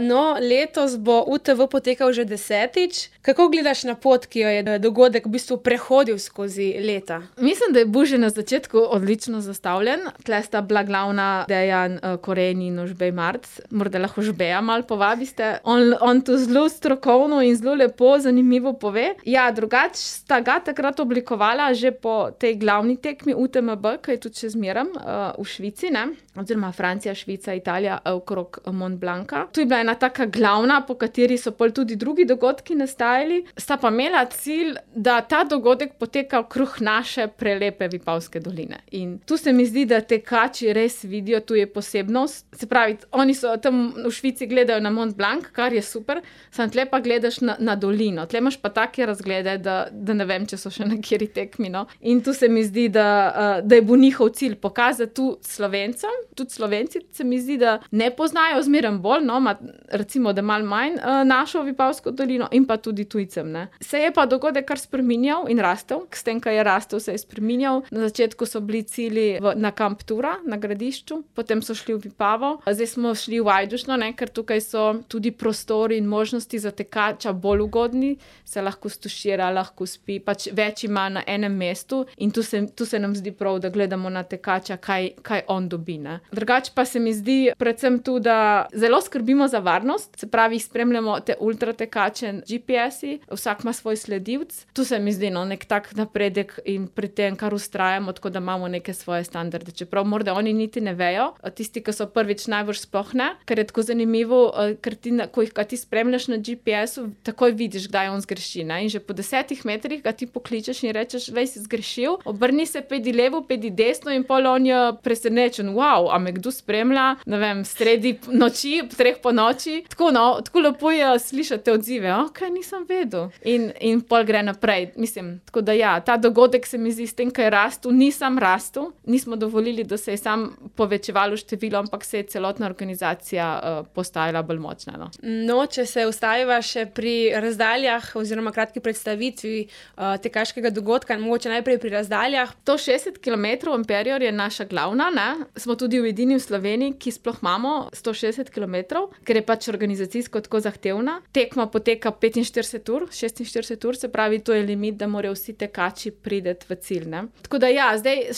No, letos bo UTV potekal že 10. Kako gledaš na pot, ki jo je dogodek v bistvu prehodil skozi leta? Mislim, da je bil že na začetku odlično zastavljen. Tle sta bila glavna Dejan Koren in Ožbej Marc. Morda lahko Ožbeja malo povabiste. On to zelo strokovno in zelo lepo, zanimivo pove. Ja, drugače sta ga takrat oblikovala že po tej glavni tekmi UTMB, ki je tudi še zmeraj v Švici, ne? Oziroma Francija, Švica, Italija okrog Mont Blanca. Tu je bila ena taka glavna, po kateri so pol tudi drugi dogodki nastajali. Sta pa imela cilj, da ta dogodek poteka okrog naše prelepe Vipavske doline. In tu se mi zdi, da tekači res vidijo, tu je posebnost. Se pravi, oni so tam v Švici gledajo na Mont Blanc, kar je super, sam tle pa gledaš na dolino. Tle imaš pa take razglede, da ne vem, če so še na kateri tekmi, no. In tu se mi zdi, da je bil njihov cilj pokazati tu Slovencem. Tudi Slovenci se mi zdi, da ne poznajo zmeraj bolj, no, recimo, da malo manj našo Vipavsko dolino in pa tudi tujcem, ne. Se je pa dogodek kar spreminjal in rastel. S tem, ko je rastel, se je spreminjal. Na začetku so bili cilji na Kamp Tura, na Gradišču, potem so šli v Vipavo, zdaj smo šli v Ajdušno, ne, ker tukaj so tudi prostori in možnosti za tekača bolj ugodni, se lahko stušira, lahko spi, pač več ima na enem mestu in tu se nam zdi prav, da gledamo na tekača, kaj on dobi, ne. Drugače pa se mi zdi predvsem tu, da zelo skrbimo za varnost, se pravi, spremljamo te ultratekače, GPS-i, vsak ima svoj sledilec. Tu se mi zdi, no, nek tak napredek in pri tem, kar vztrajamo, tako da imamo neke svoje standarde. Čeprav morda oni niti ne vejo, tisti, ki so prvič najbrž sploh ne, ker je tako zanimivo, ker ko jih ti spremljaš na GPS-u, takoj vidiš, kdaj on zgreši, ne. In že po 10 metrih ga ti pokličeš in rečeš, vej, si zgrešil, obrni se, pejdi levo, pejdi desno in pol on je presenečen, wow, a me kdo spremlja, ne vem, sredi noči, 3 po noči. Tako, no, tako lepo je slišati odzive, okej, nisem vedel. In pol gre naprej, mislim, tako da ja, ta dogodek se mi zdi s tem, ko je rastel, ni sam rastel, nismo dovolili, da se je sam povečevalo število, ampak se je celotna organizacija postajala bolj močna, no. No, če se ustaviva še pri razdaljah oziroma kratki predstavitvi tekaškega dogodka, mogoče najprej pri razdaljah. 160 km Imperior je naša glavna, ne. Smo tudi edini v Sloveniji, ki sploh imamo 160 km, ker je pač organizacijsko tako zahtevna. Tekma poteka 45 ur, 46 ur, se pravi, to je limit, da morajo vsi tekači priti v cilj, ne. Tako da ja, zdaj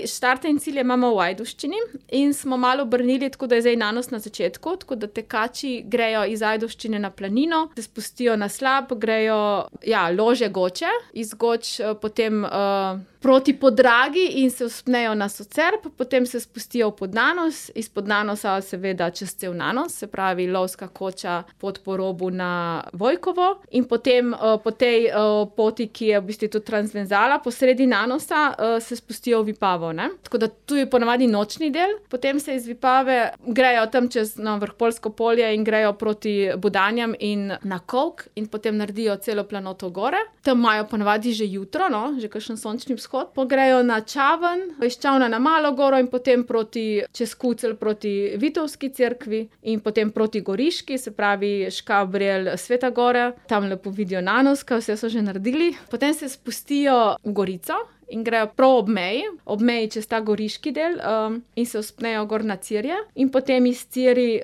štarte in cilje imamo v Ajdovščini in smo malo obrnili, tako da je zdaj nanos na začetku, tako da tekači grejo iz Ajdovščine na planino, se spustijo na slap, grejo, ja, lože Goče, iz Goč potem proti Podragi in se vzpnejo na Socerb, potem se spustijo v Podnanos, iz Podnanosa seveda čez cel Nanos, se pravi lovska koča pot po robu na Vojkovo in potem po tej poti, ki je v bistvu tudi transverzala, po sredi Nanosa se spustijo v Vipavo, ne. Tako da tu je ponavadi nočni del, potem se iz Vipave grejo tam čez Vrhpolsko polje in grejo proti Budanjam in na Kolk in potem naredijo celo planoto gore. Tam imajo ponavadi že jutro, no, že kakšen sončni vzhod, pogrejo na Čaven, iz Čavna na Malo goro in potem čez Kucelj proti Vitovski cerkvi in potem proti Goriški, se pravi Škabrelj, Sveta Gora, tam lepo vidijo Nanos, kaj vse so že naredili. Potem se spustijo v Gorico in grejo prav ob meji čez ta goriški del in se vzpnejo gor na Cirje in potem iz Cirij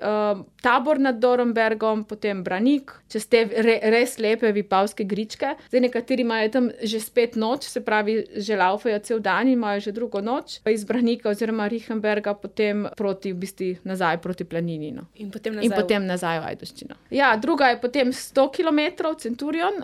Tabor nad Dornbergom, potem Branik, čez te res lepe Vipavske gričke. Zdaj nekateri imajo tam že spet noč, se pravi, že laufajo cel dan in imajo že drugo noč. Iz Branika oziroma Richenberga potem proti, v bistvu nazaj proti planini, no. In potem nazaj v Ajdovščino. Ja, druga je potem 100 km Centurion,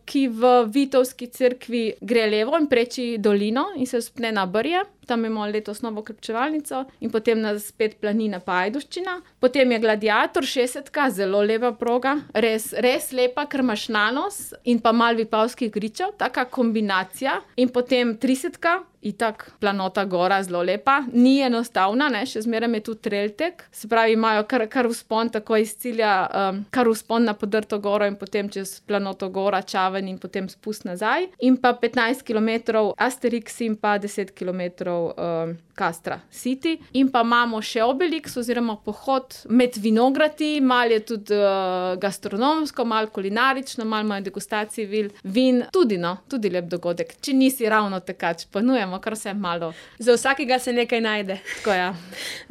ki v Vitovski cerkvi gre levo in preči dolino in se vzpne na Brje. Tam imamo letos novo krepčevalnico in potem spet planina pa Ajdovščina. Potem je Gladiator 60, zelo lepa proga, res lepa, ker imaš Nanos in pa malo Vipavskih gričev, taka kombinacija. In potem 30, itak planota gora, zelo lepa, ni enostavna, ne, še zmeraj je tu trailtek, se pravi, imajo kar vzpon tako iz cilja, kar vzpon na podrto goro in potem čez planoto gora, Čaven in potem spust nazaj. In pa 15 km Asterix in pa 10 km pravi Castra City. In pa imamo še Obelix oziroma pohod med vinogradi, malo je tudi gastronomsko, malo kulinarično, malo imajo degustacije vin, tudi lep dogodek. Če nisi ravno tekač, ponujemo kar vse malo. Za vsakega se nekaj najde. Tako ja.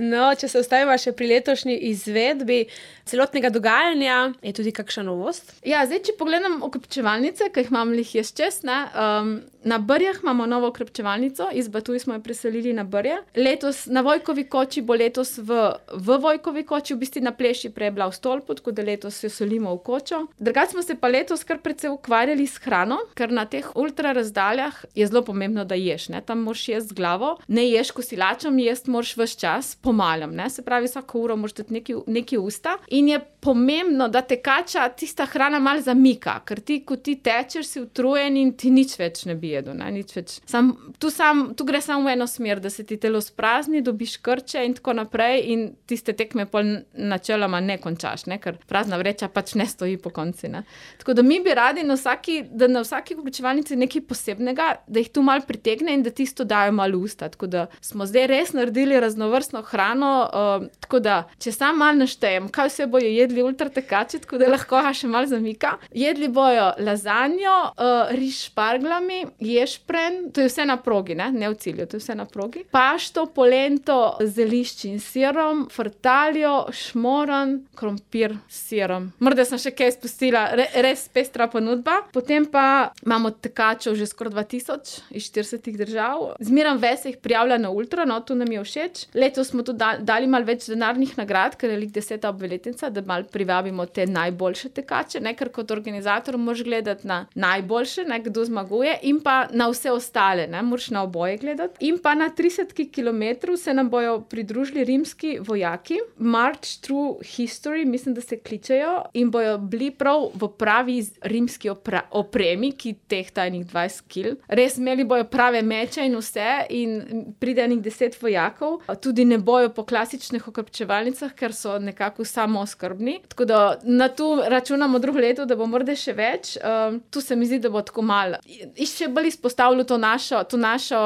No, če se ostaviva še pri letošnji izvedbi celotnega dogajanja, je tudi kakšna novost? Ja, zdaj, če pogledam okrepčevalnice, ki jih imam jaz čez, na Brjah imamo novo okrepčevalnico, iz Batuj smo jo preselili na Brje. Letos na Vojkovi koči bo letos v Vojkovi koči, v bistvu na Pleši prej je bila v Stolpu, tako da letos jo selimo v kočo. Drugače smo se pa letos kar precej ukvarjali s hrano, ker na teh ultra razdaljah je zelo pomembno, da ješ, ne? Tam moraš jesti z glavo, ne ješ kosilačem, jesti moraš ves čas, po malem, ne? Se pravi, vsako uro moraš dati neki usta in je pomembno, da tekača tista hrana malo zamika, ker ko ti tečeš, si utrujen in ti nič več ne bi jedel, ne? Nič več. Tu gre samo v eno smer, da se ti telo sprazni, dobiš krče in tako naprej in tiste tekme pol načeloma ne končaš, ne? Ker prazna vreča pač ne stoji po konci, ne? Tako da mi bi radi na vsaki okrepčevalnici nekaj posebnega, da jih tu malo pritegne in da tisto dajo malo usta. Tako da smo zdaj res naredili raznovrstno hrano, tako da, če sam malo naštejem, kaj vse bojo jedli ultratekači, tako da lahko še malo zamika. Jedli bojo lazanjo, riž s šparglami, ješprenj, to je vse na progi, ne v cilju, to je vse na progi. Pašto, polento, zelišč in sirom, frtaljo, šmoran, krompir s sirom. Morda sem še kaj spustila, res pestra ponudba. Potem pa imamo tekačev že skoraj 2000 iz 40 držav. Zmeram ves jih prijavlja na ultra, no, to nam je všeč. Letos smo tudi dali malo več denarnih nagrad, ker je lik 10. obletnica, da malo privabimo te najboljše tekače, ne, ker kot organizator moraš gledati na najboljše, ne, kdo zmaguje, in pa na vse ostale, ne, moraš na oboje gledati. In pa na 30 kilometrov se nam bojo pridružili rimski vojaki, March Through History, mislim, da se kličejo, in bojo bili prav v pravi rimski opremi, ki tehta enih 20 kil. Res imeli bojo prave meče in vse, in pride enih 10 vojakov. Tudi ne bojo po klasičnih okrepčevalnicah, ker so nekako samooskrbni. Tako da na tu računamo drugo leto, da bo morda še več. Tu se mi zdi, da bo tako malo. Še bolj izpostavljalo to našo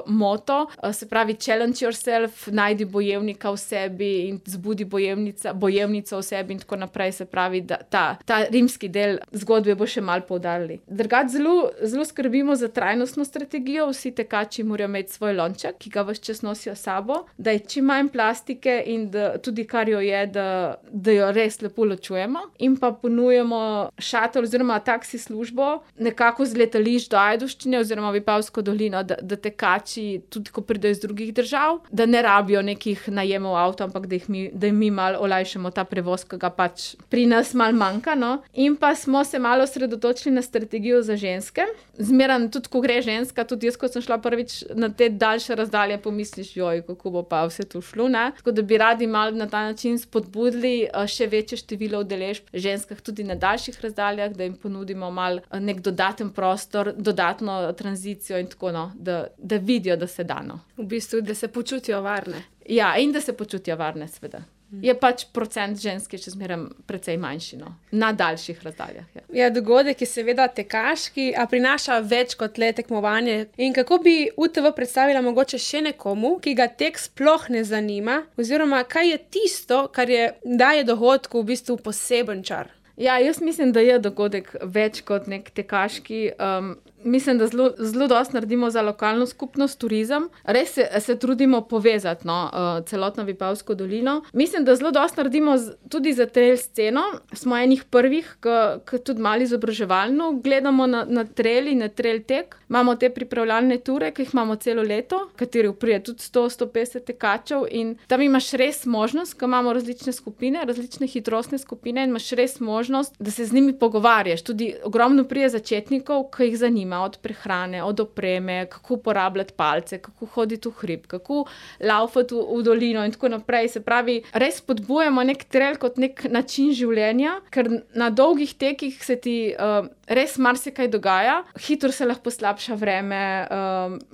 moto, se pravi challenge yourself, najdi bojevnika v sebi in zbudi bojevnico v sebi in tako naprej. Se pravi, da ta rimski del zgodbe bo še malo poudarili. Drugače zelo skrbimo za trajnostno strategijo. Vsi tekači morajo imeti svoj lonček, ki ga ves čas nosijo s sabo, da je čim manj plastike in da tudi kar jo je, da jo res lepo ločujemo. In pa ponujemo šatel oziroma taksi službo nekako z letališč do Ajdovščine oziroma Vipavsko dolino, da tekači, tudi ko pridejo iz drugih držav, da ne rabijo nekih najemov avto, ampak da jim mi malo olajšamo ta prevoz, ki ga pač pri nas malo manjka, no. In pa smo se malo osredotočili na strategijo za ženske. Zmeraj tudi, ko gre ženska, tudi jaz, ko sem šla prvič na te daljše razdalje, pomisliš, joj, kako bo pa vse to šlo, ne. Tako da bi radi malo na ta način spodbudili še večje število udeležb ženskah tudi na daljših razdaljah, da jim ponudimo malo nek dodaten prostor, dodatno tranzicijo in tako, no, da vidijo, da se da, no. V bistvu, da se počutijo varne. Ja, in da se počutijo varne, seveda. Je pač procent ženske še zmeraj precej manjši, no, na daljših razdaljah. Ja. Ja, dogodek je seveda tekaški, a prinaša več kot le tekmovanje. In kako bi UTV predstavila mogoče še nekomu, ki ga tek sploh ne zanima, oziroma kaj je tisto, kar daje dogodku v bistvu poseben čar? Ja, jaz mislim, da je dogodek več kot nek tekaški. Mislim, da zelo dosti naredimo za lokalno skupnost, turizem. Res se trudimo povezati, no, celotno Vipavsko dolino. Mislim, da zelo dosti naredimo tudi za trail sceno. Smo enih prvih, ki tudi malo izobraževalno gledamo na trail in na trail tek. Imamo te pripravljalne ture, ki jih imamo celo leto, kateri pride tudi 100-150 tekačev, in tam imaš res možnost, ko imamo različne skupine, različne hitrostne skupine, in imaš res možnost, da se z njimi pogovarjaš. Tudi ogromno pride začetnikov, ki jih zanima, od prehrane, od opreme, kako uporabljati palce, kako hoditi v hrib, kako laufati v dolino in tako naprej. Se pravi, res spodbujamo nek trail kot nek način življenja, ker na dolgih tekih se ti res marsikaj dogaja, hitro se lahko poslabša vreme,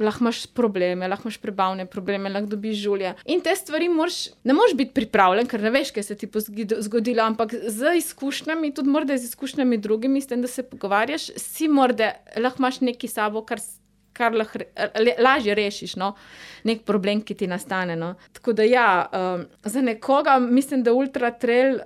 lahko imaš probleme, lahko imaš prebavne probleme, lahko dobiš žulje. In te stvari ne moreš biti pripravljen, ker ne veš, kaj se ti bo zgodilo, ampak z izkušnjami, tudi morda z izkušnjami drugimi, s tem, da se pogovarjaš, si morda lahko imaš nekaj sabo, kar kar lažje rešiš, no, nek problem, ki ti nastane, no. Tako da ja, za nekoga mislim, da ultra trail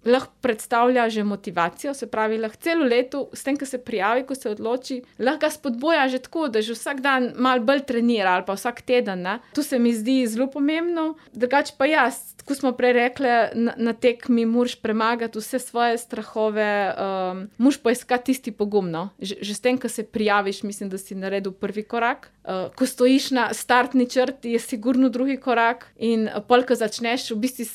lahko predstavlja že motivacijo, se pravi, lahko celo leto, s tem, ko se prijavi, ko se odloči, lahko ga spodbuja že tako, da že vsak dan malo bolj trenira ali pa vsak teden, ne. To se mi zdi zelo pomembno. Drugače pa ja, ko smo prej rekli, na tekmi moraš premagati vse svoje strahove, moraš poiskati tisti pogum, no. Že s tem, ko se prijaviš, mislim, da si naredil prvi korak. Ko stojiš na startni črti, je sigurno drugi korak in pol, ko začneš, v bistvu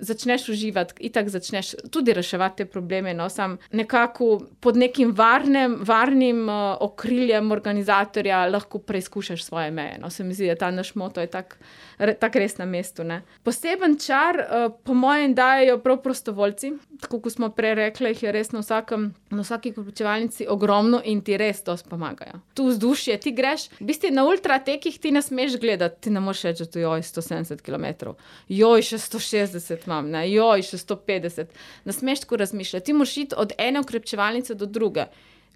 začneš uživati, itak začneš tudi reševati te probleme, no, sam nekako pod nekim varnim okriljem organizatorja lahko preizkušaš svoje meje, no, se mi zdi, da ta naš moto je tak res na mestu, ne. Poseben čar, po mojem, dajejo prav prostovoljci, tako kot smo prej rekli, jih je res na vsaki prepričevalnici ogromno in ti res dosti pomagajo. Tu vzdušje, ti greš, v bistvu na ultratekih ti ne smeš gledati, ti ne moreš reči, da to joj 170 kilometrov, joj še 160 imam, ne, joj še 150, ne smeš tako razmišljati, ti moraš iti od ene ukrepčevalnice do druge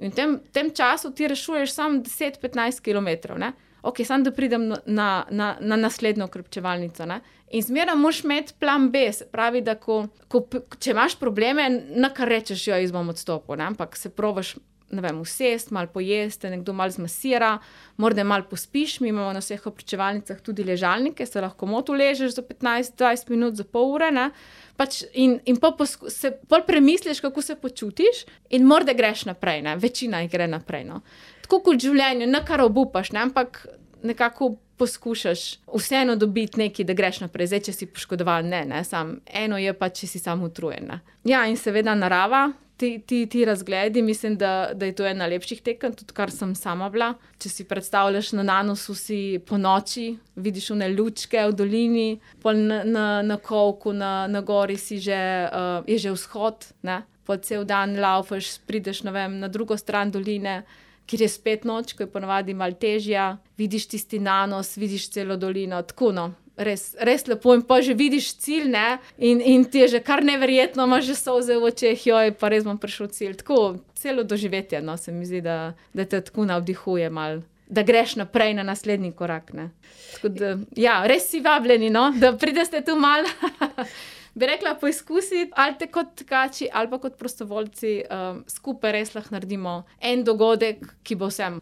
in v tem času ti rešuješ samo 10-15 kilometrov, ne. Ok, samo da pridem na naslednjo ukrepčevalnico, ne. In zmeraj moraš imeti plan B, se pravi, da če imaš probleme, na kar rečeš, jo, jaz bom odstopil, ne, ampak se probaš, ne vem, usesti, malo pojesti, nekdo malo zmasira, morda malo pospiš, mi imamo na vseh ukrepčevalnicah tudi ležalnike, se lahko komot uležeš za 15-20 minut, za pol ure, ne. Pač in pol premisliš, kako se počutiš in morda greš naprej, ne, večina jih gre naprej, no. Tako kot v življenju, ne kar obupaš, ne, ampak nekako poskušaš vseeno dobiti nekaj, da greš naprej. Zdaj, če si poškodovan, ne, samo eno je pa, če si samo utrujen, ne. Ja, in seveda narava, ti razgledi, mislim, da je to ena lepših tekem, tudi kar sem sama bila. Če si predstavljaš, na Nanosu si po noči, vidiš one lučke v dolini, pol na Kovku, na gori si je že vzhod, ne. Pol cel dan laufaš, prideš, ne vem, na drugo stran doline, kjer je spet noč, ko je ponavadi malo težja, vidiš tisti Nanos, vidiš celo dolino, tako, no. Res lepo in pa že vidiš cilj, ne, in ti je že kar neverjetno, imaš že solze v očeh, joj, pa res bom prišel cilj. Tako, celo doživetje, no, se mi zdi, da te tako navdihuje malo, da greš naprej na naslednji korak, ne. Tako da, ja, res si vabljeni, no, da prideste tu malo, bi rekla, poizkusiti, ali te kot tekači, ali pa kot prostovoljci, skupaj res lahko naredimo en dogodek, ki bo vsem